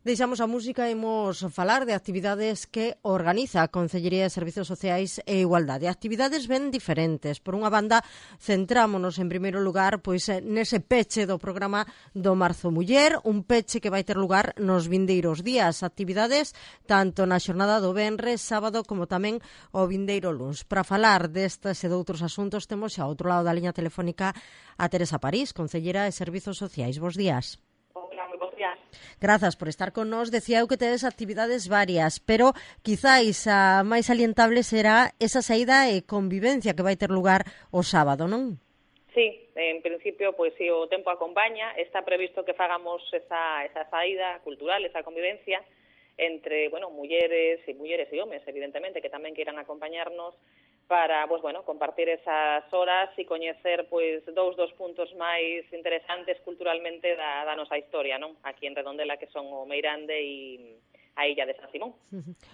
Deixamos a música e imos falar de actividades que organiza a Concellería de Servizos Sociais e Igualdade. Actividades ben diferentes. Por unha banda, centrámonos en primeiro lugar nese peche do programa do Marzo Muller, un peche que vai ter lugar nos vindeiros días. Actividades tanto na xornada do venres, sábado, como tamén o vindeiro luns. Para falar destas e doutros asuntos, temos xa ao outro lado da liña telefónica a Teresa París, Concellera de Servizos Sociais. Bos días. Grazas por estar con nós. Decía eu que tedes actividades varias, pero quizáis a máis salientable será esa saída e convivencia que vai ter lugar o sábado, non? Sí, en principio, pois se o tempo acompaña, está previsto que fagamos esa saída cultural, esa convivencia entre, mulleres e homes, evidentemente, que tamén queiran acompañarnos para, compartir esas horas e coñecer, dous dos puntos máis interesantes culturalmente da nosa historia, non? Aquí en Redondela, que son o Meirande e a Illa de San Simón.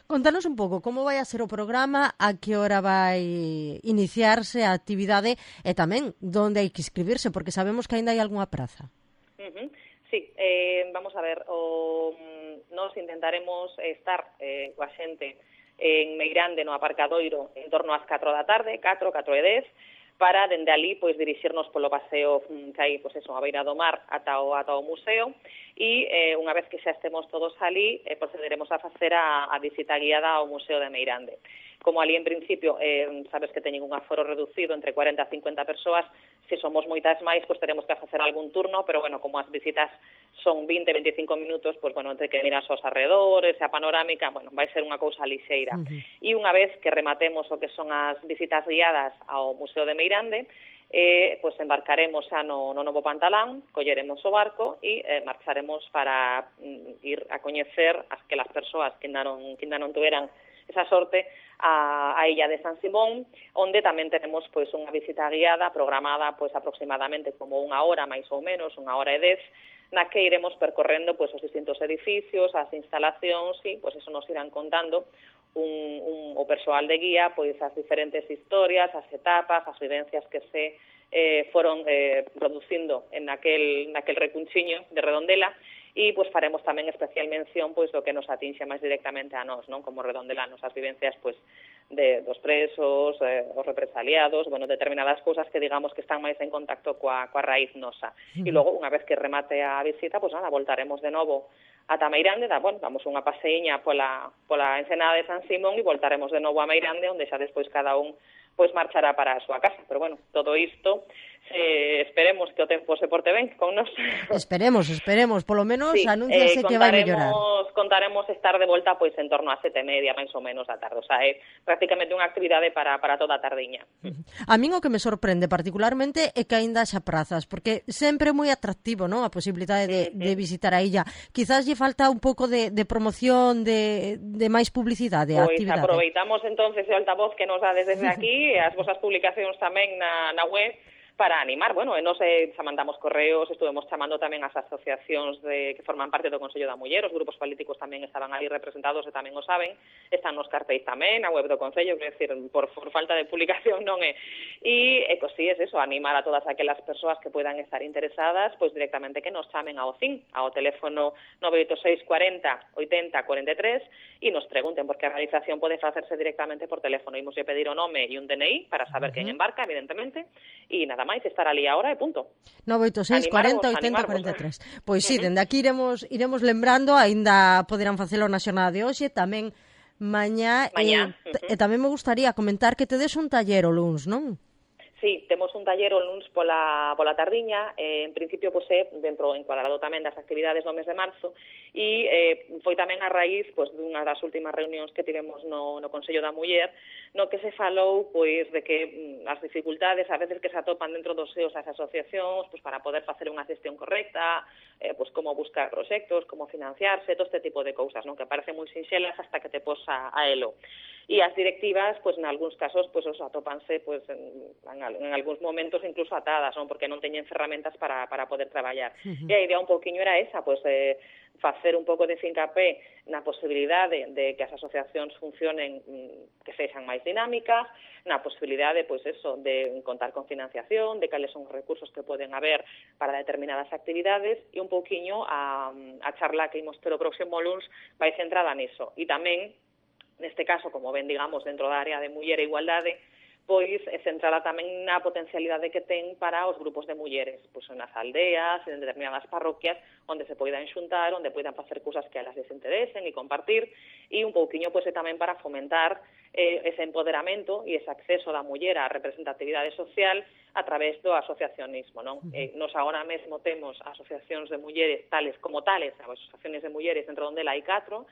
Contanos un pouco como vai a ser o programa, a que hora vai iniciarse a actividade e tamén onde hai que inscribirse, porque sabemos que aínda hai algunha praza. Sí, vamos a ver, nos intentaremos estar coa xente en Meirande, no aparcadoiro, en torno ás 4 da tarde, 4:10, para, dende ali, dirixirnos polo paseo que hai, a beira do mar ata o museo, e unha vez que xa estemos todos ali, procederemos a facer a visita guiada ao Museo de Meirande. Como ali, en principio, sabes que teñen un aforo reducido entre 40 a 50 persoas, se somos moitas máis, teremos que facer algún turno, pero, como as visitas son 20-25 minutos, entre que miras os arredores, a panorámica, vai ser unha cousa lixeira. E unha vez que rematemos o que son as visitas guiadas ao Museo de Meirande, embarcaremos xa no Novo Pantalán, colleremos o barco e marcharemos para ir a coñecer que las persoas que ainda non tuveran esa sorte a Illa de San Simón, onde tamén tenemos unha visita guiada programada aproximadamente como unha hora, máis ou menos, 1:10, na que iremos percorrendo os distintos edificios, as instalacións e eso nos irán contando o persoal de guía as diferentes historias, as etapas, as vivencias que se foron producindo en aquel recunchiño de Redondela. E faremos tamén especial mención do que nos atinxe máis directamente a nós, non? Como redondelanos, as vivencias dos presos, os represaliados, determinadas cousas que digamos que están máis en contacto coa raíz nosa. E logo, unha vez que remate a visita, voltaremos de novo ata Meirande, damos unha paseíña pola ensenada de San Simón e voltaremos de novo a Meirande, onde xa despois cada un marchará para a súa casa. Pero todo isto, esperemos que o tempo se porte ben con nós. Esperemos, polo menos sí, anúnciase que vai mellorar. Contaremos estar de volta en torno a 7:30, máis ou menos, da tarde. O sea, é prácticamente unha actividade para toda a tardiña. A min o que me sorprende particularmente é que aínda xa prazas, porque sempre é moi atractivo, non? A posibilidade de visitar a illa. Quizás lle falta un pouco de promoción, de máis publicidade a actividade. Aproveitamos entonces o altavoz que nos dá desde aquí, e as vosas publicacións tamén na web, para animar, e nos xa mandamos correos, estuvemos chamando tamén as asociacións que forman parte do Consello da Muller, os grupos políticos tamén estaban ali representados e tamén o saben, están nos cartéis tamén, na web do Concello, quer decir, por falta de publicación non é. E, sí, é eso, animar a todas aquelas persoas que puedan estar interesadas, directamente que nos chamen ao CIN, ao teléfono 986 40 80 43, e nos pregunten, porque a realización pode facerse directamente por teléfono. Imos pedir o nome e un DNI para saber quen embarca, evidentemente, e nada máis, estar ali a hora e punto. 986 40 80 43. Pois sí, dende aquí iremos lembrando, aínda poderán facelo na xornada de hoxe, tamén mañá. E tamén me gustaría comentar que tedes un taller o luns, non? Sí, temos un taller o luns pola tardiña, en principio é dentro encuadrado tamén das actividades do mes de marzo, e foi tamén a raíz dunha das últimas reunións que tivemos no Consello da Muller, no que se falou de que as dificultades a veces que se atopan dentro dos seos as asociacións para poder facer unha gestión correcta, como buscar proxectos, como financiarse, todo este tipo de cousas, non? Que parecen moi sinxelas hasta que te posa a elo. E as directivas, en algúns casos, atópanse en algúns momentos incluso atadas, non? Porque non teñen ferramentas para poder traballar. E a idea un pouquiño era esa, facer un pouco de fincapé na posibilidade de que as asociacións funcionen, que sexan máis dinámicas, na posibilidade, pois eso, de contar con financiación, de cales son os recursos que poden haber para determinadas actividades, e un pouquiño a charla que imos ter o próximo luns vai centrada niso. E tamén, neste caso, como ven, digamos, dentro da área de muller e igualdade, pois centrada tamén na potencialidade que ten para os grupos de mulleres, pois nas aldeas, en determinadas parroquias, onde se poidan xuntar, onde poidan facer cousas que a las les interesen e compartir, e un pouquiño pois tamén para fomentar ese empoderamento e ese acceso da muller á representatividade social a través do asociacionismo, non? Nos agora mesmo temos asociacións de mulleres tales como tales, asociacións de mulleres entre onde hai 4,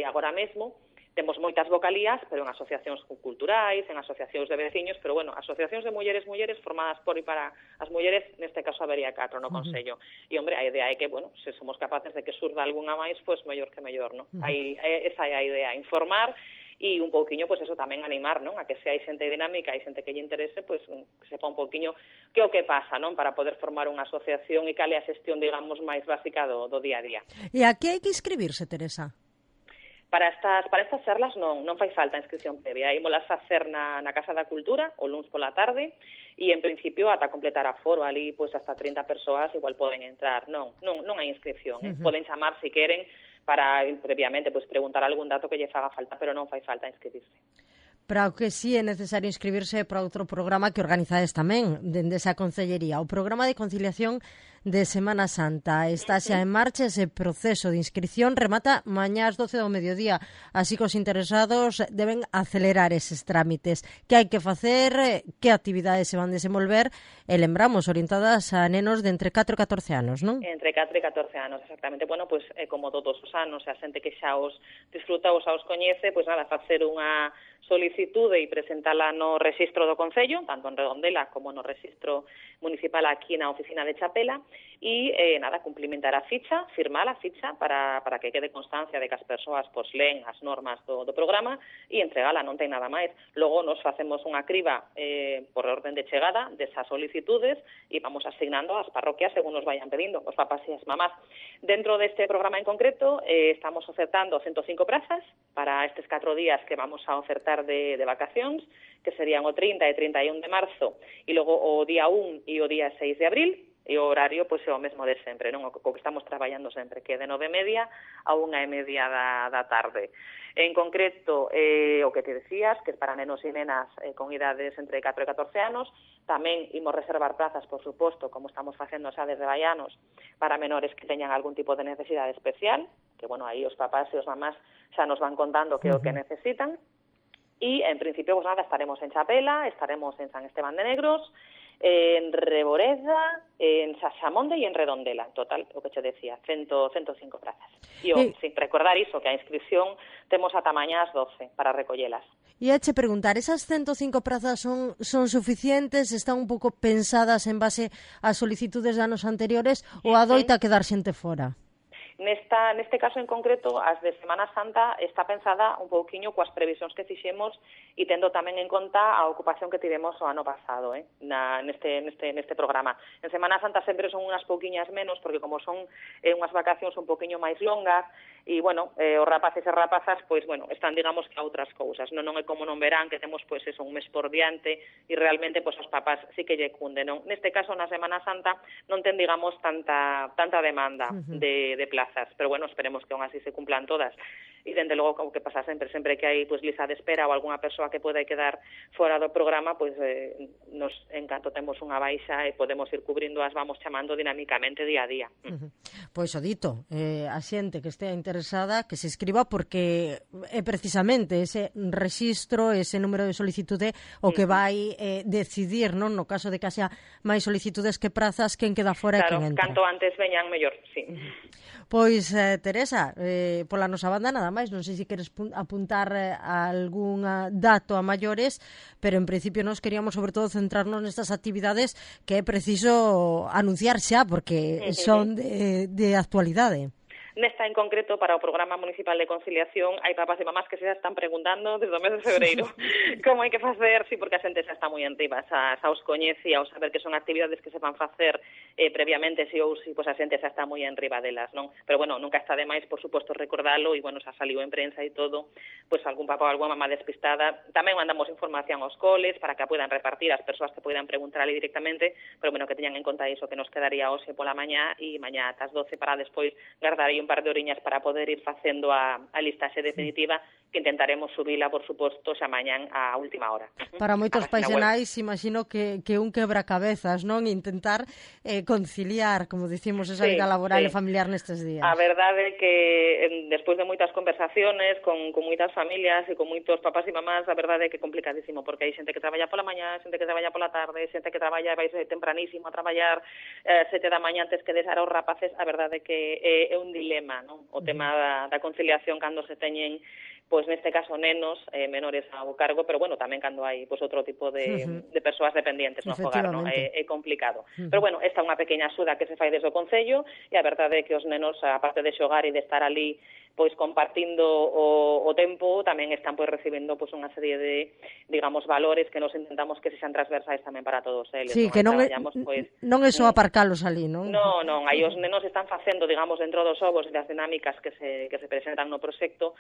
agora mesmo, temos moitas vocalías, pero en asociacións culturais, en asociacións de veciños, pero, bueno, asociacións de mulleres formadas por e para as mulleres, neste caso habería 4 no Consello. E, hombre, a idea é que, bueno, se somos capaces de que surda algunha máis, pois mellor que mellor, non? Esa é a idea, informar e un pouquiño, pois eso tamén animar, non? A que se hai xente dinámica e xente que lle interese, pois que sepa un pouquiño que o que pasa, non? Para poder formar unha asociación e cal é a xestión, digamos, máis básica do día a día. E a que hai que inscribirse, Teresa? Para estas charlas non fai falta inscripción previa. Ímolas facer na Casa da Cultura o luns pola tarde e, en principio, ata completar aforo ali, pois, hasta 30 persoas igual poden entrar. Non hai inscripción. Poden chamar, se queren, para previamente pois preguntar algún dato que lle faga falta, pero non fai falta inscribirse. Para o que sí é necesario inscribirse para outro programa que organizades tamén dende esa Concellería, o programa de conciliación de Semana Santa. Está xa en marcha, ese proceso de inscripción remata mañá ás 12 do mediodía, así que os interesados deben acelerar eses trámites. Que hai que facer, que actividades se van desenvolver, e lembramos, orientadas a nenos de entre 4 e 14 anos, non? Entre 4 e 14 anos, exactamente. Bueno, pois como todos os anos, a xente que xa os disfruta ou xa os coñece, pois nada, facer unha solicitude e presentala no rexistro do Concello, tanto en Redondela como no rexistro municipal aquí na oficina de Chapela, e nada, cumplimentar a ficha, firmar a ficha para que quede constancia de que as persoas pois leen as normas do programa e entregala, non ten nada máis. Logo nos facemos unha criba por orden de chegada desas solicitudes e vamos asignando as parroquias según nos vayan pedindo, os papás e as mamás. Dentro deste programa en concreto estamos ofertando 105 prazas para estes 4 días que vamos a ofertar de vacacións, que serían o 30 e 31 de marzo e logo o día 1 e o día 6 de abril, e o horario pois é o mesmo de sempre, non? O que estamos traballando sempre, que é de 9:30 a 1:30 da tarde. En concreto, o que te decías, que é para nenos e nenas con idades entre 4 e 14 anos, tamén imos reservar plazas, por suposto, como estamos facendo xa desde vai anos, para menores que teñan algún tipo de necesidade especial, que, bueno, aí os papás e os mamás xa nos van contando que é o que necesitan. E, en principio, pues nada, estaremos en Chapela, estaremos en San Esteban de Negros, en Reboreda, en Saxamonde e en Redondela. En total, o que che decía, 105 prazas. E, sin recordar iso, que a inscripción temos ata mañá ás 12 para recollelas. E a che preguntar, esas 105 prazas son suficientes, están un pouco pensadas en base ás solicitudes de anos anteriores ou adoita quedar xente fora? Neste caso en concreto, as de Semana Santa está pensada un pouquiño coas previsións que fixemos e tendo tamén en conta a ocupación que tivemos o ano pasado, neste programa. En Semana Santa sempre son unhas pouquiñas menos, porque como son unhas vacacións un pouquiño máis longas, e, bueno, os rapaces e rapazas, pois, bueno, están, digamos, que a outras cousas. Non é como non verán, que temos, pois, eso, un mes por diante, e realmente, pois, os papás sí que lle cunden, non? Neste caso, na Semana Santa, non ten, digamos, tanta demanda de plazas, pero, bueno, esperemos que aún así se cumplan todas. E, dende logo, o que pasa sempre que hai, pois, lista de espera ou algunha persoa que pode quedar fora do programa, pois, nos, en canto temos unha baixa e podemos ir cubrindo, as vamos chamando dinámicamente día a día. Pois o dito, a xente que estea interesada que se escriba, porque é precisamente ese rexistro, ese número de solicitude o que vai decidir, non, no caso de que haxa máis solicitudes que prazas, quen queda fora e quen entra. Canto antes veñan mellor, sí. Pois, Teresa, pola nosa banda nada máis, non sei se queres apuntar algún dato a maiores, pero en principio nos queríamos sobre todo centrarnos nestas actividades que é preciso anunciar xa, porque son de actualidade. Nesta en concreto, para o Programa Municipal de Conciliación, hai papás e mamás que se están preguntando desde o mes de febreiro como hai que facer, sí, porque a xente xa está moi enriba, xa os coñece, ao saber que son actividades que se van facer previamente, si ou si, pois a xente xa está moi enriba delas, non? Pero, bueno, nunca está de máis, por suposto, recordalo, e, bueno, xa saliu en prensa e todo, pois algún papá ou algunha mamá despistada. Tamén mandamos información aos coles para que a poidan repartir as persoas que poidan preguntar ali directamente, pero, bueno, que teñan en conta iso, que nos quedaría hoxe pola mañá e mañá ás 12 para despois guardar aí un par de oriñas para poder ir facendo a listaxe definitiva, que intentaremos subila, por suposto, xa mañán á última hora. Para moitos paisenais, imagino que un quebracabezas, non? Intentar conciliar, como dicimos, esa vida laboral e familiar nestes días. A verdade é que, despois de moitas conversaciones con moitas familias e con moitos papás e mamás, a verdade é que é complicadísimo, porque hai xente que traballa pola mañá, xente que traballa pola tarde, xente que traballa e vai tempranísimo a traballar 7 da mañá antes que deixar aos rapaces. A verdade é que é un dilema, non? O tema da conciliación cando se teñen, pois neste caso nenos menores ao cargo, pero, bueno, tamén cando hai pois outro tipo de persoas dependientes no fogar, non? É complicado. Pero, bueno, esta é unha pequena axuda que se fai desde o Concello, e a verdade é que os nenos, aparte de xogar e de estar ali pois compartindo o tempo, tamén están pois recibendo pois unha serie de, digamos, valores que nos intentamos que sexan transversais tamén para todos eles. Sí, que non é só aparcalos ali, non? Non, aí os nenos están facendo, digamos, dentro dos ovos e das dinámicas que se presentan no proxecto,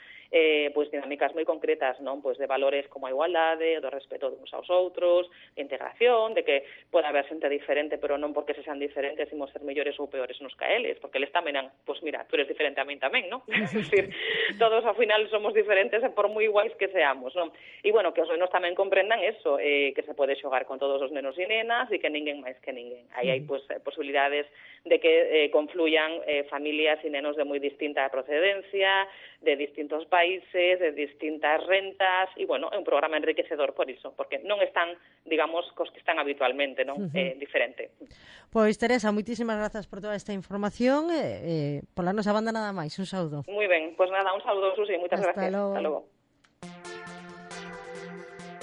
pois dinámicas moi concretas, non? Pois de valores como a igualdade, do respeto uns aos outros, de integración, de que pode haber xente diferente, pero non porque se sean diferentes imos ser mellores ou peores nos que eles, porque eles tamén, pois mira, tú eres diferente a min tamén, non? Decir, todos ao final somos diferentes e por moi iguais que seamos, non? E, bueno, que os nenos tamén comprendan eso, que se pode xogar con todos os nenos e nenas e que ninguén máis que ninguén. Aí hai posibilidades de que confluyan familias e nenos de moi distinta procedencia, de distintos países, de distintas rentas, e, bueno, é un programa enriquecedor por iso, porque non están, digamos, cos que están habitualmente, non? Diferente. Pois, Teresa, moitísimas grazas por toda esta información, pola nosa banda nada máis, un saúdo. Moi ben, pois nada, un saúdo, Susi, moitas gracias. Hasta logo.